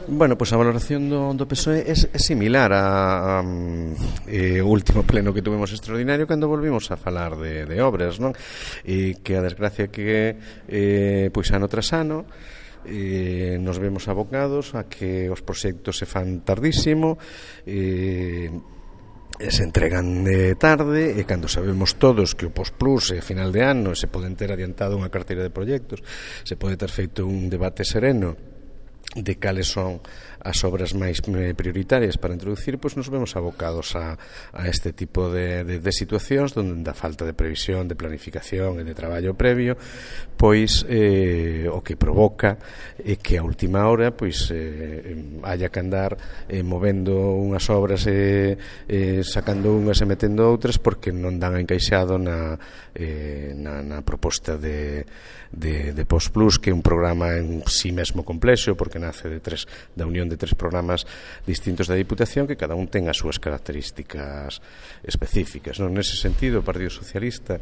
Bueno, pois a valoración do PSOE é similar ao último pleno que tuvemos extraordinario cando volvimos a falar de obras, non? E que a desgracia que pois ano tras ano nos vemos abocados a que os proxectos se fan tardísimo, se entregan tarde, e cando sabemos todos que o Postplus a final de ano se poden ter adiantado unha carteira de proxectos, se pode ter feito un debate sereno de cales son as obras máis prioritarias para introducir, pois nos vemos abocados a este tipo de situacións onde a falta de previsión, de planificación e de traballo previo pois o que provoca é que a última hora pois haya que andar movendo unhas obras sacando unhas e metendo outras porque non dan encaixado na proposta de Postplus, que é un programa en sí mesmo complexo porque nace da unión de 3 programas distintos da Diputación que cada un ten as súas características específicas, non? Nese sentido, o Partido Socialista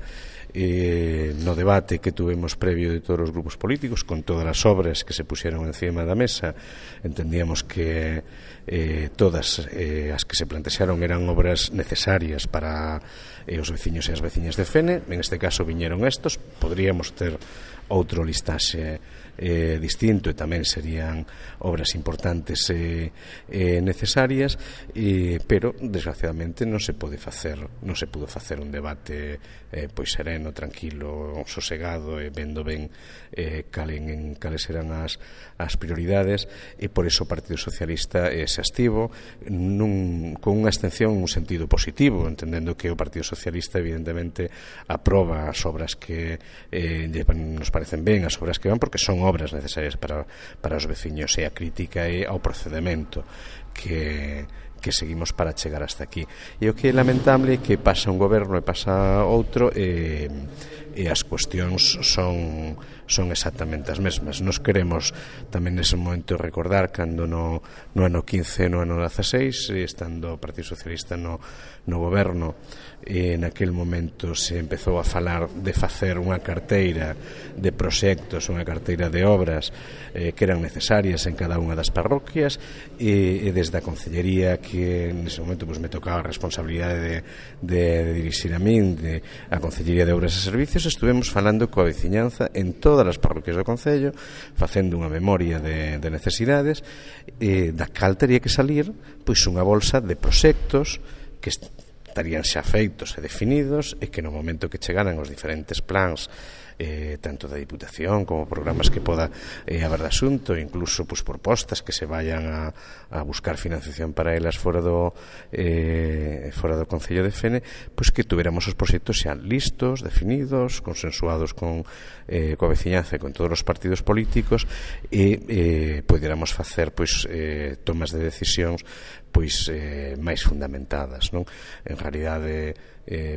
no debate que tuvemos previo de todos os grupos políticos con todas as obras que se puxeron encima da mesa, entendíamos que todas as que se plantexaron eran obras necesarias para os veciños e as veciñas de Fene. En este caso viñeron estos, podríamos ter outro listaxe distinto e tamén serían obras importantes e necesarias, pero desgraciadamente non se pudo facer un debate pois sereno, tranquilo, sosegado e vendo ben cales eran as prioridades, e por iso o Partido Socialista se abstivo con unha abstención en un sentido positivo, entendendo que o Partido Socialista evidentemente aproba as obras que nos parecen ben, as obras que van porque son obras necesarias para os veciños, e a crítica é ao procedemento que seguimos para chegar hasta aquí. E o que é lamentable é que pasa un goberno e pasa outro e as cuestións son exactamente as mesmas. Nos queremos tamén nese momento recordar cando no ano 15 e no ano 16, estando o Partido Socialista no goberno, e naquel momento se empezou a falar de facer unha carteira de proxectos, unha carteira de obras que eran necesarias en cada unha das parroquias, e desde a Concellería, que nese momento me tocaba a responsabilidade de dirixir a min, a Concellería de Obras e Servicios, estuvemos falando coa veciñanza en todas as parroquias do Concello, facendo unha memoria de necesidades, da cal tería que salir pois unha bolsa de proxectos que estarían xa feitos e definidos, e que no momento que chegaran os diferentes plans tanto da Diputación como programas que poda haber de asunto, incluso pues, propostas que se vayan a buscar financiación para elas fora do Concello de Fene, pues que tuviéramos os proxectos xa listos, definidos, consensuados coa veciñanza e con todos os partidos políticos, e pudiéramos facer pues, tomas de decisións pois máis fundamentadas, non? En realidade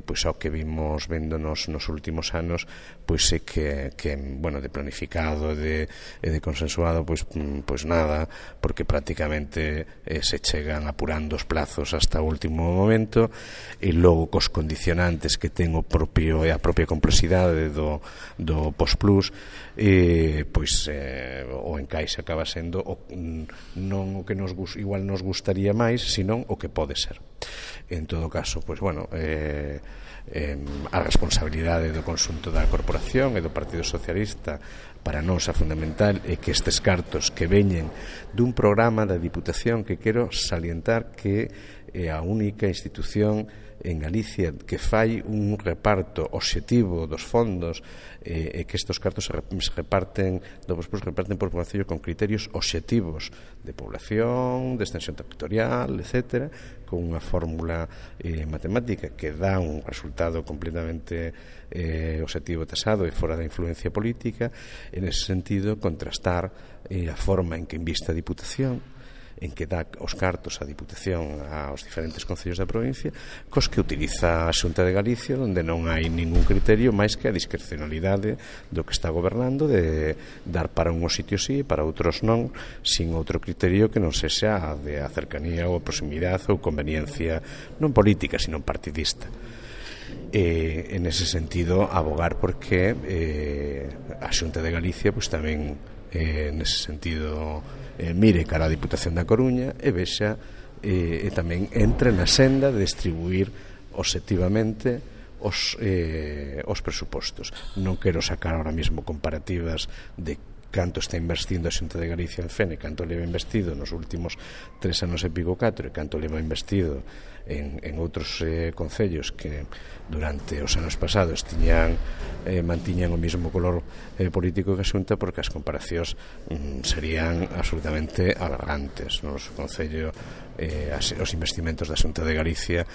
pois ao que vimos vendo nos últimos anos, pois é que bueno, de planificado e de consensuado pois nada, porque prácticamente se chegan apurando os plazos hasta o último momento, e logo cos condicionantes que ten a propia complexidade do Postplus, pois o encaixe acaba sendo non o que igual nos gustaría máis, senón o que pode ser. En todo caso, pois bueno, a responsabilidade do conxunto da corporación e do Partido Socialista para nós a fundamental é que estes cartos que veñen dun programa da Diputación, que quero salientar que é a única institución en Galicia que fai un reparto obxectivo dos fondos, e que estes cartos se reparten por concello con criterios obxectivos de población, de extensión territorial, etcétera, con unha fórmula matemática que dá un resultado completamente obxectivo, tasado e fora da influencia política. En ese sentido, contrastar a forma en que inviste a Diputación, en que dá os cartos a Diputación aos diferentes concellos da provincia, cos que utiliza a Xunta de Galicia, onde non hai ningún criterio máis que a discrecionalidade do que está gobernando, de dar para unhos sitios sí e para outros non, sin outro criterio que non sexa de a cercanía ou a proximidade ou conveniencia non política, sino partidista. En ese sentido, abogar porque a Xunta de Galicia pues, tamén nese sentido mire cara a Diputación da Coruña e vexa e tamén entre na senda de distribuir obxectivamente os presupostos. Non quero sacar ahora mesmo comparativas de canto está investindo a Xunta de Galicia en FEN e canto leva investido nos últimos 3 anos e pico 4 e canto leva investido en outros concellos que durante os anos pasados mantiñan o mesmo color político que a Xunta, porque as comparacións serían absolutamente aberrantes. No noso concello os investimentos da Xunta de Galicia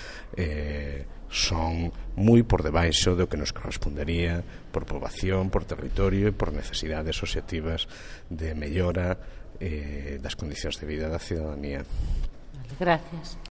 son moi por debaixo do que nos correspondería por poboación, por territorio e por necesidades obxectivas de mellora das condicións de vida da ciudadanía. Gracias.